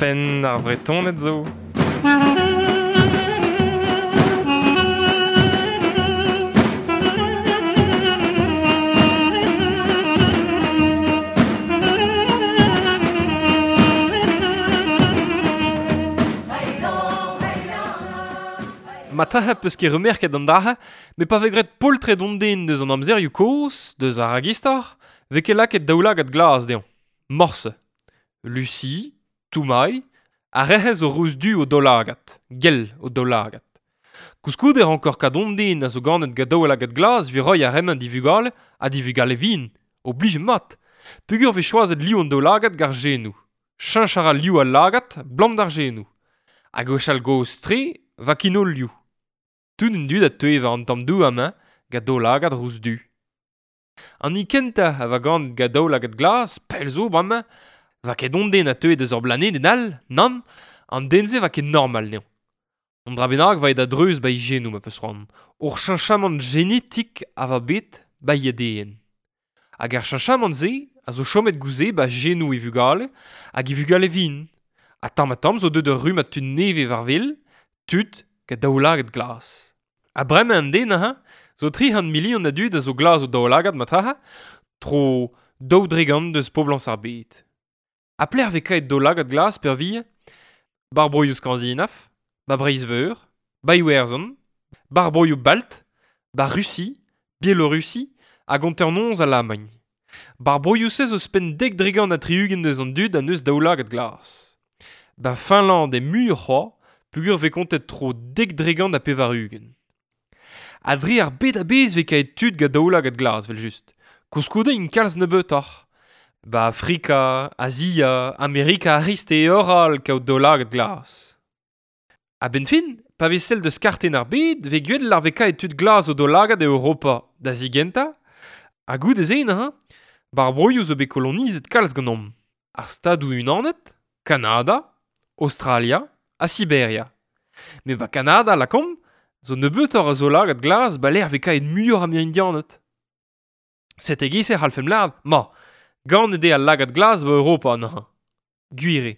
Penn ar Vretoned zo. Matrahe peus ket remerket an dra-se, met pa vez graet poltred hon den deus an amzerioù kozh, deus ar ragistor, vez ket lakaet daoulagad glas dezhañ. Morse. Lucie, Toumaï, ar re-se zo ruz-du o daoulagad, gell o daoulagad. Koulskoude e rankor kad hon den a zo ganet gant daoulagad glas evit reiñ ar re-mañ d'e vugale ha d'e vugale vihan, oblijet mat. Peogwir vez choazet liv an daoulagad gant ar genoù. Cheñch a ra liv al lagad 'blam d'ar genoù. Ha gwechall gozh-tre 'va kinolioù. Tout an dud a teue war an tamm douar-mañ gant daoulagad ruz-du. An hini kentañ a va ganet gant daoulagad glas, pell zo bremañ, 'va ket hon den a teue deus ur blanedenn all, nann, an den-se 'va ket normal anezhañ. Un dra bennak 'va aet a-dreuz 'ba e genoù ma peus c'hoant. Ur cheñchamant genetik a va bet 'ba e ADN. Hag ar cheñchamant-se a zo chomet gouze 'ba genoù e vugale hag e vugale vihan. Ha tamm-ha-tamm zo deuet ur rummad tud nevez war-wel, tud gant daoulagad glas. Ha bremañ an den aze zo 300 milion a dud a zo glas o daoulagad matraha, tro 2% deus poblañs ar bed. Ha pelec'h 'vez kaet daoulagad glas peurvuiañ? 'Bar broioù skandinav, 'ba Breizh-Veur, 'ba Iwerzhon, 'bar broioù balt, 'ba Rusi, Bielorussi hag hanternoz Alamagn. 'Bar broioù-se zo ouzhpenn 70% deus an dud a neus daoulagad glas. 'Ba Finland eo muioc'h c'hoazh peogwir 'vez kontet tro 90%. Ha dre ar bed a-bezh 'vez kaet tud gant daoulagad glas evel-just. Koulskoude int kalz nebeutoc'h. 'Ba Afrika, Azia, Amerika ar C'hrist eo ur ral kaout daoulagad glas. A-benn fin, pa vez sell deus kartenn ar bed, 'vez gwell ar vez kaet tud glas o daoulagad e Europa da zigentañ, ha goude-se neuze, 'bar broioù zo bet kolonizet kalz ganeomp. Ar Stadoù-Unanet, Kanada, Aostralia ha Siberia. Met 'ba Kanada, lakaomp, zo nebeutoc'h a zaoulagad glas 'ba lec'h 'vez kaet muioc'h a Indianed. Sete e-giz e c'hallfemp lâret, ma, ganet eo al lagad glas 'ba Europa neuze. Gwir eo.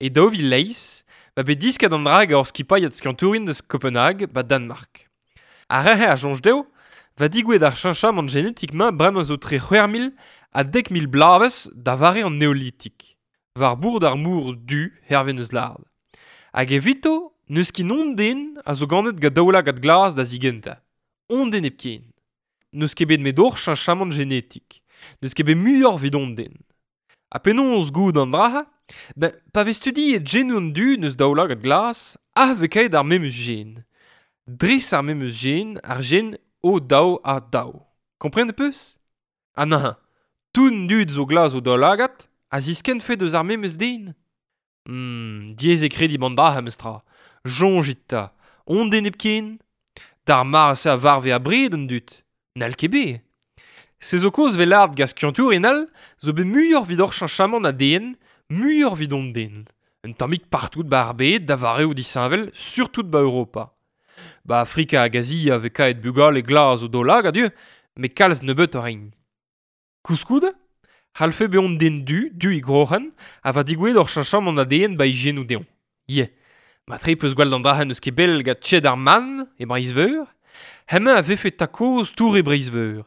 E 2008 'ba bet disket an dra gant ur skipailhad skiantourien deus Kopenhag 'ba Danmark. Ar re-se a soñj dezho 'va digouezhet ar cheñchamant genetik-mañ bremañ zo tre 6000 ha 10 000 bloavezh da vare an Neolitik. War bord ar mor du hervez neus lâret. Hag evito n'eus ket hon den a zo ganet gant daoulagad glas da zigentañ. Hon den hepken. N'eus ket bet 'met ur cheñchamant genetik. N'eus ket bet muioc'h evit hon den. Ha penaos goût an dra-se? Ben, pa vez studiet genoù an dud n'eus daoulagad glas, ah 'vez kaet ar memes gen. Dres ar memes gen, ar gen O2A2. Komprenet 'peus? Ha neuze, tout an dud zo glas o daoulagad a ziskennfe deus ar memes den? Diaes eo krediñ an dra-se memestra. Soñjit 'ta, hon den hepken? D'ar mare-se a varve abred an dud. N'hall ket bet. Se zo kaoz 'vez lâret gant skiantourien all zo bet muioc'h evit ur cheñchamant ADN, muioc'h evit hon den. Un tammig partout 'ba ar bed da vareoù disheñvel, surtout 'ba Europa. 'Ba Afrika hag Azia 'vez kaet bugale glas o daoulagad ivez, met kalz nebeutoc'h int. Koulskoude, c'hallfe bezañ hon den du, du e groc'hen, ha va digouezhet ur cheñchamant ADN 'ba e genoù dezhañ. Ya, matre 'peus gwellet an dra-se n'eus ket pell gant Ched ar Man e Breizh-Veur. Hemañ a vefe tad-kozh Tour e Breizh-Veur.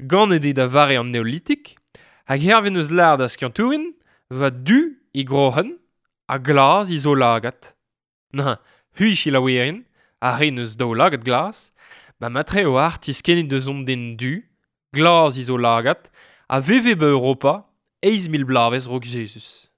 Ganet eo da vare an Neolitik, hag hervez neus lâret ar skiantourien, va du e groc'hen ha glas e zaoulagad. Neuze, c'hwi selaouerien, ar re neus daoulagad glas, ba matre eo ar tiskennit deus hon den du, glas e zaoulagad, a veve 'ba Europa 8000 bloavezh 'raok Jezuz.